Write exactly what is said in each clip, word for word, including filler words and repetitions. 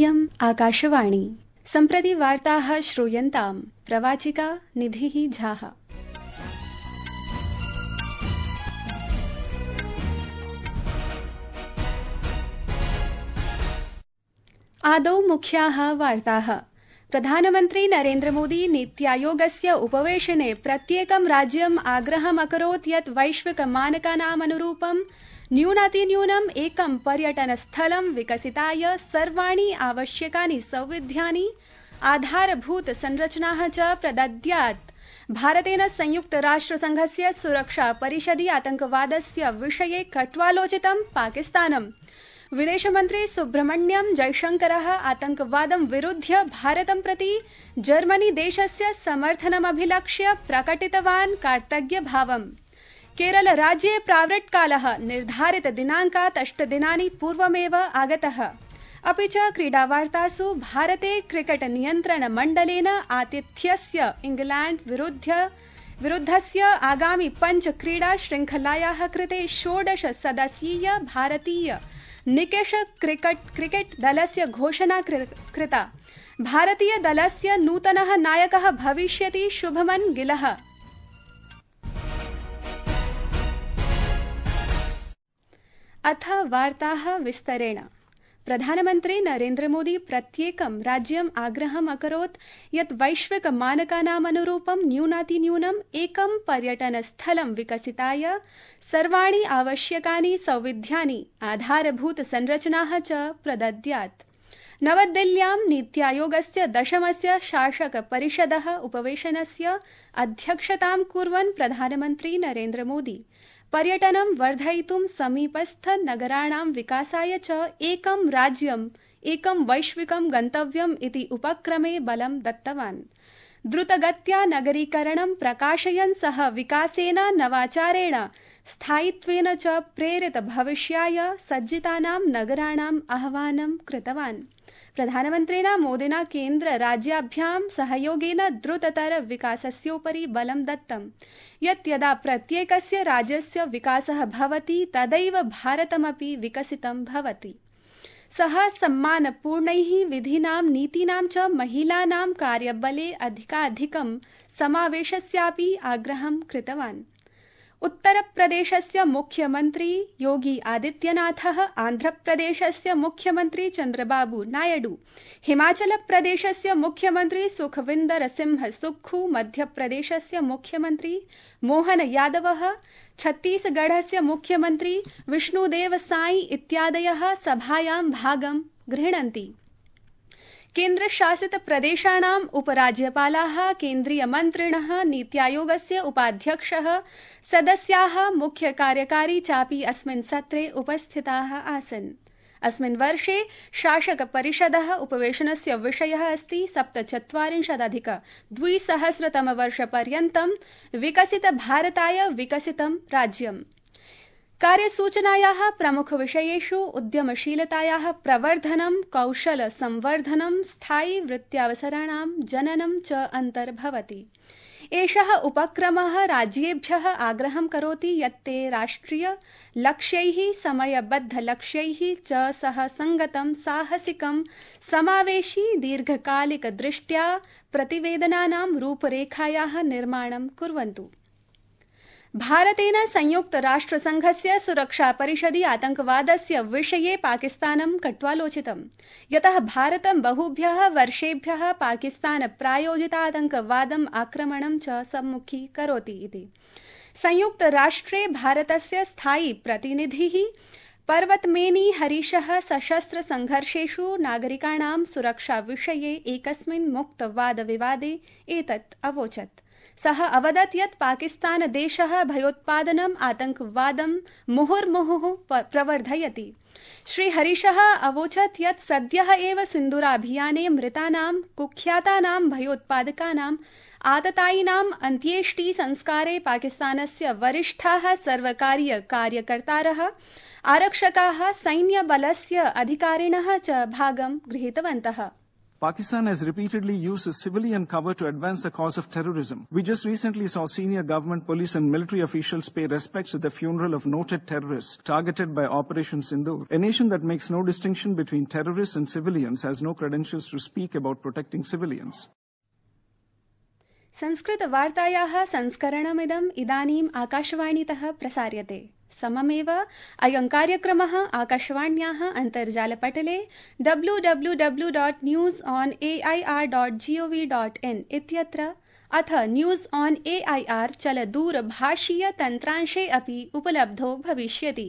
इयम् आकाशवाणी। सम्प्रति वार्ताः श्रूयन्ताम्। प्रवाचिका निधिः झाः। आदौ मुख्याः वार्ताः। प्रधानमन्त्री नरेन्द्र मोदी नीति आयोगस्य उपवेशने प्रत्येकं राज्यम् आग्रहम् अकरोत् यत् वैश्विक मानकानामनुरूपं न्यूनातिन्यूनम् एकं पर्यटनस्थलं विकसिताय सर्वाणि आवश्यकानि सौविध्यानि आधारभूत संरचनाः च प्रदद्यात्। भारतेन संयुक्त राष्ट्रसंघस्य सुरक्षा परिषदि आतंकवादस्य विषये कट्वालोचितं पाकिस्तानम्। विदेशमन्त्री सुब्रह्मण्यम जयशंकरः आतंकवादं विरुध्य भारतं प्रति जर्मनी देशस्य समर्थनमभिलक्ष्य प्रकटितवान् कार्तज्ञभावम्। केरल राज्ये प्रावृट्कालः निर्धारित दिनाङ्कात् अष्टदिनानि पूर्वमेव आगतः। अपि च क्रीडावार्तासु भारते क्रिकेट नियन्त्रण मण्डलेन आतिथ्यस्य इंग्लैण्ड विरुध्य विरुद्धस्य आगामि पञ्च क्रीडा श्रृंखलायाः कृते षोडश सदस्यीय भारतीय निकेश क्रिकेट क्रिकेट दलस्य घोषणा कृता। भारतीय दलस्य नूतनः नायकः भविष्यति शुभमन गिलः। अथ वार्ताः विस्तरेण। प्रधानमन्त्री नरेन्द्र मोदी प्रत्येकं राज्यम् आग्रहम् अकरोत् यत् वैश्विक मानकानामनुरूपं न्यूनातिन्यूनम् एकं पर्यटनस्थलं विकसिताय सर्वाणि आवश्यकानि सौविध्यानि आधारभूत संरचनाः च प्रदद्यात्। नवदिल्ल्यां नीति आयोगस्य दशमस्य शासक परिषदः उपवेशनस्य अध्यक्षतां कुर्वन् प्रधानमन्त्री नरेन्द्र मोदी पर्यटनं वर्धयितुं समीपस्थ नगराणां विकासाय च एकं राज्यम् एकं वैश्विकं गन्तव्यम् इति उपक्रमे बलं दत्तवान्। द्रुतगत्या नगरीकरणं प्रकाशयन् सः विकासेन नवाचारेण स्थायित्वेन च प्रेरित भविष्याय सज्जितानां नगराणाम् आह्वानं कृतवान्। प्रधानमन्त्रिणा मोदिना केन्द्र राज्याभ्यां सहयोगेन द्रुततर विकासस्योपरि बलं दत्तं यत् यदा प्रत्येकस्य राज्यस्य विकासः भवति तदैव भारतमपि विकसितं भवति। सः सम्मानपूर्णैः विधीनां नीतीनां च महिलानां कार्यबले अधिकाधिकं समावेशस्यापि आग्रहं कृतवान्। उत्तरप्रदेशस्य मुख्यमन्त्री योगी आदित्यनाथः, आन्ध्रप्रदेशस्य मुख्यमन्त्री चन्द्रबाबू नायडू, हिमाचलप्रदेशस्य मुख्यमन्त्री सुखविन्दर सिंह सुक्खू, मध्यप्रदेशस्य मुख्यमन्त्री मोहन यादवः, छत्तीसगढ़स्य मुख्यमन्त्री विष्णुदेव साई इत्यादयः सभायां भागं गृह्णन्ति। केन्द्रशासित प्रदेशानाम् उपराज्यपालाः, केन्द्रीयमन्त्रिणः, नीति आयोगस्य उपाध्यक्षः, सदस्याः, मुख्य कार्यकारी चापि अस्मिन् सत्रे उपस्थिताः आसन्। अस्मिन् वर्षे शासक परिषदः उपवेशनस्य विषयः अस्ति सप्तचत्वारिंशदधिक द्विसहस्रतमवर्षपर्यन्तं विकसित भारताय विकसितं राज्यम्। कार्यसूचनायाः प्रमुखविषयेषु उद्यमशीलतायाः प्रवर्धनं, कौशल संवर्धनं, स्थायि वृत्त्यावसराणां जननं च अन्तर्भवति। एषः उपक्रमः राज्येभ्यः आग्रहं करोति यत् ते राष्ट्रिय लक्ष्यैः समयबद्ध लक्ष्यैः च सह संगतं साहसिकं समावेशी दीर्घकालिक दृष्ट्या प्रतिवेदनानां रूपरेखायाः निर्माणं कुर्वन्तु। भारतेन संयुक्त राष्ट्रसंघस्य सुरक्षा परिषदि आतंकवादस्य विषये पाकिस्तानं कट्वालोचितम्, यतः भारतं बहुभ्यः वर्षेभ्यः पाकिस्तान प्रायोजितातंकवादम् आक्रमणं च सम्मुखीकरोति इति। संयुक्त राष्ट्रे भारतस्य स्थायी प्रतिनिधिः पर्वतमेनी हरीशः सशस्त्र संघर्षेषु नागरिकाणां सुरक्षा विषये एकस्मिन् मुक्त वादविवादे एतत् अवोचत्। सः अवदत् यत् पाकिस्तान देशः भयोत्पादनम् आतंकवादं मुहुर्मुहुः प्रवर्धयति। श्री हरीशः अवोचत् यत् सद्यः एव सिन्दूराभियाने मृतानां कुख्यातानां भयोत्पादकानां आततायिनाम् अन्त्येष्टि संस्कारे पाकिस्तानस्य वरिष्ठाः सर्वकारीय कार्यकर्तारः, आरक्षकाः, सैन्यबलस्य अधिकारिणः च भागं गृहीतवन्तः। Pakistan has repeatedly used a civilian cover to advance the cause of terrorism. We just recently saw senior government, police and military officials pay respects at the funeral of noted terrorists targeted by Operation Sindoor. A nation that makes no distinction between terrorists and civilians has no credentials to speak about protecting civilians. संस्कृतवार्तायाः संस्करणमिदम् इदानीम् आकाशवाणीतः प्रसार्यते. सममेव अयं कार्यक्रमः आकाशवाण्याः अन्तर्जालपटले W W W dot news on A I R dot G O V dot in इत्यत्र अथ news on A I R चलदूरभाषीय तन्त्रांशे अपि उपलब्धो भविष्यति.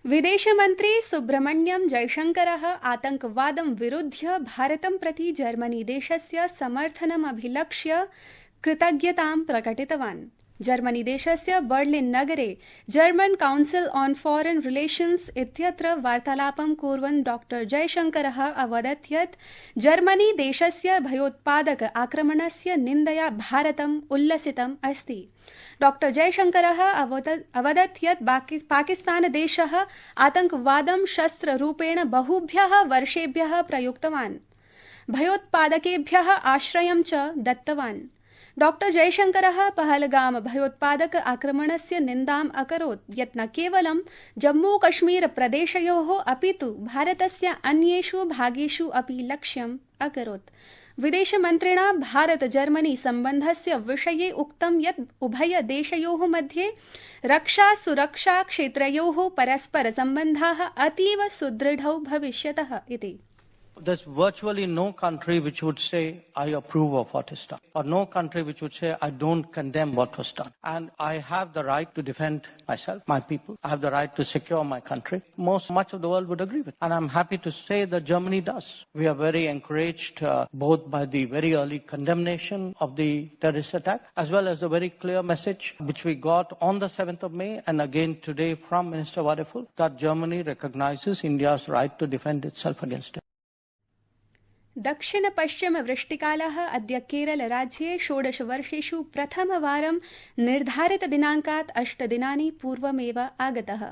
विदेशमन्त्री सुब्रह्मण्यं जयशंकरः आतंकवादं विरुध्य भारतं प्रति जर्मनी देशस्य समर्थनमभिलक्ष्य कृतज्ञतां प्रकटितवान्. जर्मनी देशस्य बर्लिन् नगरे जर्मन काउन्सिल् ऑन फॉरेन रिलेशन्स् इत्यत्र वार्तालापं कुर्वन् डॉक्टर जयशंकरः अवदत् यत् जर्मनी देशस्य भयोत्पादक आक्रमणस्य निन्दया भारतम् उल्लसितम् अस्ति. डॉक्टर जयशंकरः अवदत् यत् पाकिस्तान देशः आतंकवादं शस्त्ररूपेण बहुभ्यः वर्षेभ्यः प्रयुक्तवान्, भयोत्पादकेभ्यः आश्रयं च दत्तवान्. डॉक्टर जयशंकरः पहलगाम भयोत्पादक आक्रमणस्य निन्दाम् अकरोत् यत् न केवलं जम्मू कश्मीर प्रदेशयोः अपितु भारतस्य अन्येषु भागेषु अपि लक्ष्यम् अकरोत्. विदेशमन्त्रिणा भारत जर्मनी सम्बन्धस्य विषये उक्तं यत् उभय देशयोः मध्ये रक्षा सुरक्षा क्षेत्रयोः परस्पर सम्बन्धाः अतीव सुदृढौ भविष्यतः इति. There's virtually no country which would say, I approve of what is done, or no country which would say, I don't condemn what was done. And I have the right to defend myself, my people. I have the right to secure my country. Most, much of the world would agree with it. And I'm happy to say that Germany does. We are very encouraged uh, both by the very early condemnation of the terrorist attack, as well as the very clear message which we got on the seventh of May, and again today from Minister Wadephul, that Germany recognizes India's right to defend itself against it. दक्षिण पश्चिम वृष्टिकालः अद्य केरल राज्ये षोडश वर्षेषु प्रथमवारं निर्धारित दिनाङ्कात् अष्टदिनानि पूर्वमेव आगतः.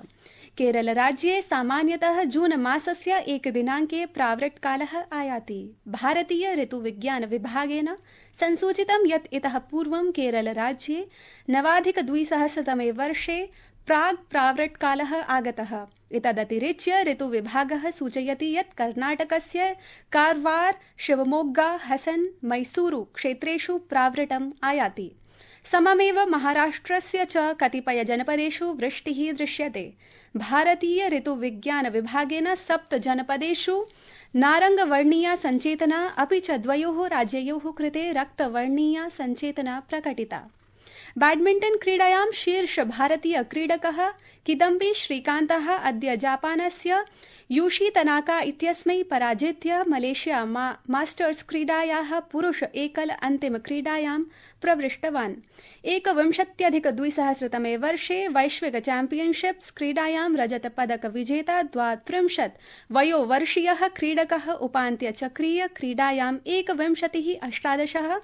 केरल राज्ये सामान्यतः जून मासस्य एकदिनाङ्के प्रावृट्कालः आयाति. भारतीय ऋतुविज्ञान विभागेन संसूचितं यत् इतः पूर्वं केरल राज्ये नवाधिकद्विसहस्रतमे वर्षे प्राग् प्रावृट्कालः आगतः. एतदतिरिच्य ऋतुविभागः सूचयति यत् कर्णाटकस्य कारवार, शिवमोग्गा, हसन, मैसूरु क्षेत्रेषु प्रावृट्टम् आयाति. सममेव महाराष्ट्रस्य च कतिपय जनपदेषु वृष्टिः दृश्यते. भारतीय ऋतुविज्ञान विभागेन सप्त जनपदेषु नारङ्गवर्णीया सञ्चेतना अपि च द्वयोः राज्ययोः कृते रक्तवर्णीया सञ्चेतना प्रकटिता. बैडमिण्टन् क्रीडायां शीर्ष भारतीय क्रीडकः किदम्बी श्रीकान्तः अद्य जापानस्य यूशी तनाका इत्यस्मै पराजित्य मलेशिया मा मास्टर्स क्रीडायाः पुरुष एकल अन्तिम क्रीडायां प्रविष्टवान्. एकविंशत्यधिक द्विसहस्रतमे वर्षे वैश्विक चैम्पियनशिप्स क्रीडायां रजत पदक विजेता द्वात्रिंशत् वयोवर्षीयः क्रीडकः उपान्त्यचक्रीय क्रीडायाम् एकविंशतिः अष्टादशः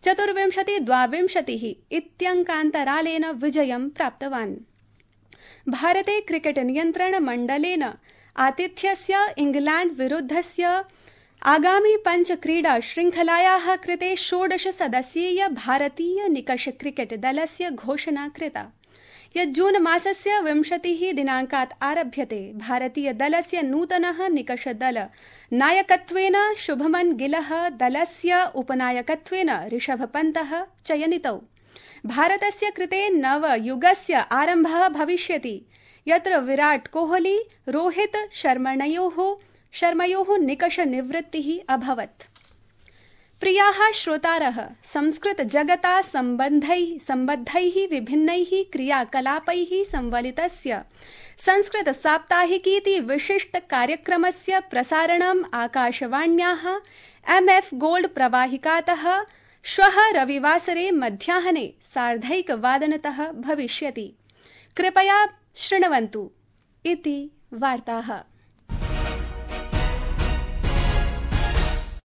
चतुर्विंशति द्वाविंशतिः इत्यङ्कान्तरालेन विजयं प्राप्तवान्. भारते क्रिकेट नियन्त्रण मण्डलेन आतिथ्यस्य इंग्लैण्ड विरुद्धस्य आगामी पंच क्रीडा श्रृंखलायाः कृते षोडश सदस्यीय भारतीय निकष क्रिकेट दलस्य घोषणा कृता, यत् जून मासस्य विंशतिः दिनाङ्कात् आरभ्यते. भारतीय दलस्य नूतनः निकष दल नायकत्वेन शुभमन गिलः, दलस्य उपनायकत्वेन ऋषभ पन्तः चयनितौ. भारतस्य कृते नव युगस्य आरम्भः भविष्यति, यत्र विराट कोहली रोहित शर्मणयोः शर्मयोः निकष निवृत्तिः अभवत्. प्रियाः श्रोतारः, संस्कृत जगता सम्बन्धैः सम्बद्धैः विभिन्नैः क्रियाकलापैः संवलितस्य संस्कृत साप्ताहिकीति विशिष्ट कार्यक्रमस्य प्रसारणम् आकाशवाण्याः एम् एफ् गोल्ड प्रवाहिकातः श्वः रविवासरे मध्याह्ने सार्धैकवादनतः भविष्यति. कृपया शृण्वन्तु इति वार्ताः.